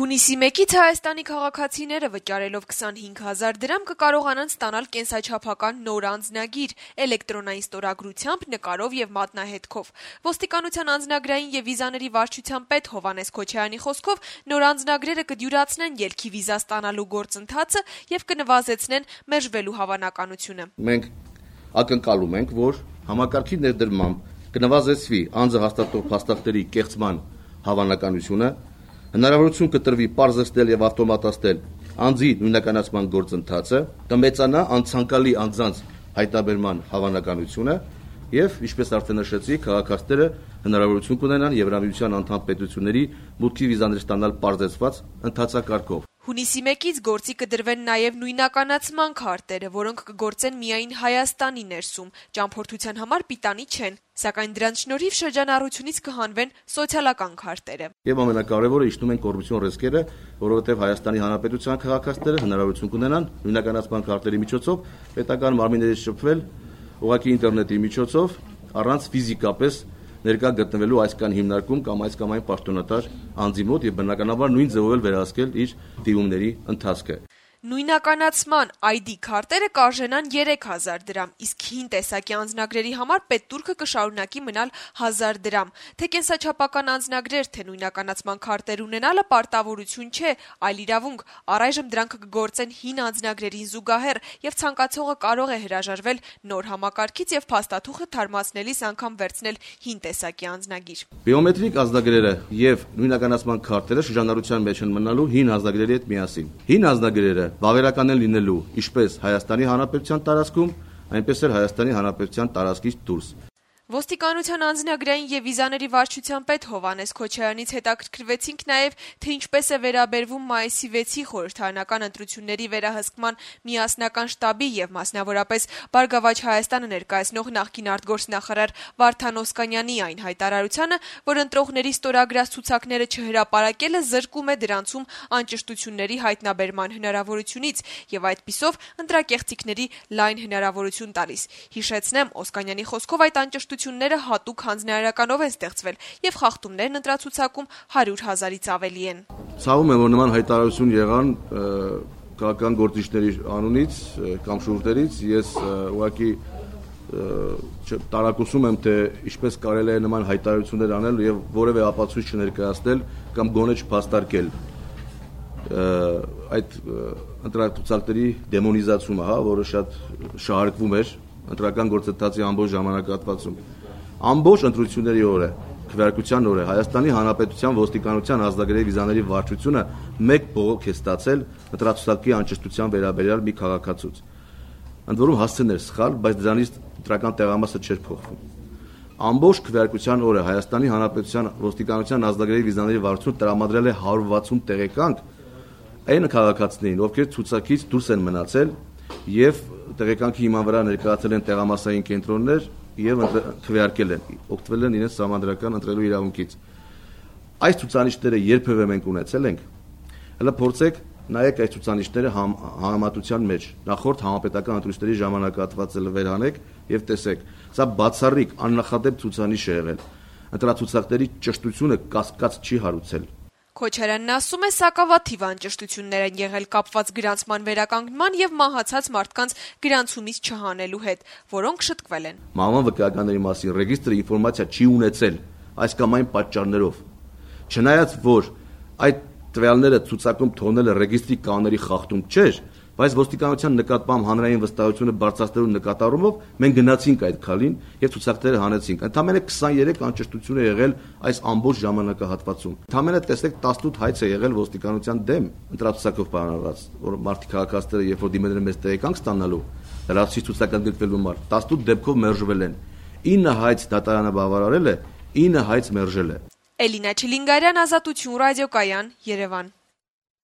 Հունիսի 1-ից Հայաստանի քաղաքացիները վճարելով 25,000 դրամ կկարողանան ստանալ կենսաչափական նոր անձնագիր էլեկտրոնային ստորագրությամբ, նկարով եւ մատնահետքով։ Ոստիկանության անձնագրային եւ վիզաների վարչության պետ Հովհաննես Քոչարյանի խոսքով նոր անձնագրերը կդյուրացնեն ելքի վիզա ստանալու գործընթացը եւ կնվազեցնեն մերժվելու հավանականությունը։ Մենք ակնկալում ենք, որ համակարգի ներդրմամբ կնվազեցվի անձը հաստատող փաստաթղթերի կեղծման հավանականությունը, հնարավորություն կտրվի պարզեցնել եւ ավտոմատացնել անձի նույնականացման գործընթացը, կմեծանա անցանկալի անձանց հայտնաբերման հավանականությունը եւ, ինչպես արդեն նշեցի, քաղաքացիները հնարավորություն կունենան Եվրամիության անդամ պետությունների մուտքի վիզաներ ստանալ պարզեցված ընթացակարգով։ Հունիսի 1-ից գործի կդրվեն նաև նույնականացման քարտերը, որոնք կգործեն միայն Հայաստանի ներսում, ճամփորդության համար պիտանի չեն, սակայն դրանց շնորհիվ շրջանառությունից կհանվեն սոցիալական քարտերը։ Եվ ամենակարևորը իջնում են կոռուպցիոն ռիսկերը, որովհետև Հայաստանի Հանրապետության քաղաքացիները հնարավորություն կունենան նույնականացման քարտերի միջոցով պետական մարմիններից շփվել ուղղակի ինտերնետի միջոցով առանց ֆիզիկապես ներկա գտնվելու այսքան հիմնարկում կամ այս կամ այն պաշտոնատար անձի մոտ եւ բնականաբար նույն ձևով էլ վերահսկել իր դիմումների ընթացքը։ Նույնականացման ID քարտերը կարժենան 3000 դրամ, իսկ հին տեսակի անձնագրերի համար պետտուրքը կշարունակի մնալ 1000 դրամ։ Թե կենսաչափական անձնագրեր, թե նույնականացման քարտեր ունենալը պարտավորություն չէ, այլ իրավունք։ Առայժմ դրանք կգործեն հին անձնագրերին զուգահեռ եւ ցանկացողը կարող է հրաժարվել նոր համակարգից եւ փաստաթուղթը թարմացնելիս անգամ վերցնել հին տեսակի անձնագիր։ Բիոմետրիկ անձնագրերը եւ նույնականացման քարտերը շրջանառության մեջ են մնալու հին անձնագրերի հետ միասին։ Հին անձնագրերը բավարարական են լինելու ինչպես Հայաստանի Հանրապետության տարածքում, այնպես էլ Հայաստանի Հանրապետության տարածքից դուրս։ Ոստիկանության անձնագրային եւ վիզաների վարչության պետ Հովհաննես Քոչարյանից հետաքրքրվեցինք նաեւ, թե ինչպես է վերաբերվում մայիսի 6-ի խորհրդարանական ընտրությունների վերահսկման միասնական շտաբի եւ մասնավորապես Բարգավաճ Հայաստանը ներկայացնող նախկին արտգործնախարար Վարդան Օսկանյանի այն հայտարարությանը, որ ընտրողների ստորագրած ցուցակները չհրապարակելը զրկում է դրանցում անճշտությունների հայտնաբերման հնարավորությունից եւ այդպիսով ընտրակեղծիքների լայն հնարավորություն տալիս։ Հիշեցնեմ, Օսկանյանի խոսքով այդ անճշտությունները հատուկ հանձնարարականով են ստեղծվել եւ խախտումներն ընտրացուցակում 100,000-ից ավելի են։ Ցավում եմ, որ նման հայտարարություն եղան քաղաքական գործիչների անունից կամ շուրթերից, ես ուղղակի տարակուսում եմ, թե ինչպես կարելի է նման հայտարարություններ անել եւ որևէ ապացույց չներկայացնել կամ գոնե չփաստարկել այդ ընտրացուցակների դեմոնիզացումը, որը շատ շահարկվում էր ընտրական գործընթացի ամբողջ ժամանակահատվածում։ Ամբողջ ընտրությունների օրը, քվեարկության օրը Հայաստանի Հանրապետության ոստիկանության ազգագրերի վիզաների վարչությունը մեկ բողոք է ստացել ընտրացուցակի անճշտության վերաբերյալ մի քաղաքացուց։ Ընդ որում հասցեն էր սխալ, բայց դրանից ընտրական տեղամասը չէր փոխվում։ Ամբողջ քվեարկության օրը Հայաստանի Հանրապետության ոստիկանության ազգագրերի վիզաների վարչությունը տրամադրել է 160 տեղեկանք այն քաղաքացիներին, ովքեր ցուցակից դուրս են մնացել եւ տեղեկանքի հիման վրա ներկայացել են տեղամասային կենտրոններ եւ քվեարկել են, օգտվել են իրենց համանդրական ընտրելու իրավունքից։ Այս ցուցանիշները երբևէ մենք ունեցել ենք։ Հələ փորձեք նայեք այս ցուցանիշները համեմատության մեջ նախորդ համապետական ընտրությունների ժամանակահատվածը վերանեք եւ տեսեք։ Սա բացառիկ աննախադեպ ցուցանիշ է եղել։ Ընտրացուցակների ճշտությունը կասկած չի հարուցել։ Քոչարյանն ասում է, սակավաթիվ անճշտություններ են եղել կապված գրանցման վերականգնման եւ մահացած մարդկանց գրանցումից չհանելու հետ, որոնք շտկվել են։ Մահվան վկայականների մասին ռեգիստրը ինֆորմացիա չի ունեցել այս կամ այն պատճառներով։ Չնայած որ այդ տվյալները ցուցակում թողնելը ռեգիստրի կանոնների խախտում չէր, բայց ոստիկանության նկատմամբ հանրային վստահությունը բարձրացնելու նկատառումով մենք գնացինք այդ քալին եւ ցուցակները հանեցինք։ Ընդամենը 23 անճշտություն է եղել այս ամբողջ ժամանակահատվածում։ Ընդամենը տեսեք 18 հայց է եղել ոստիկանության դեմ ընտրացուցակով պայմանավորված, որ մարդիկ քաղաքացիները երբ որ դիմել են մեծ տեղեկանք ստանալու, լրացուցիչ ցուցակագրվել մարդ 18 դեպքով մերժվել են։ 9 հայց դատարանը բավարարել է, 9 հայց մերժել է։ Էլինա Չիլինգարյան, Ազատություն ռադիոկայան, Երևան։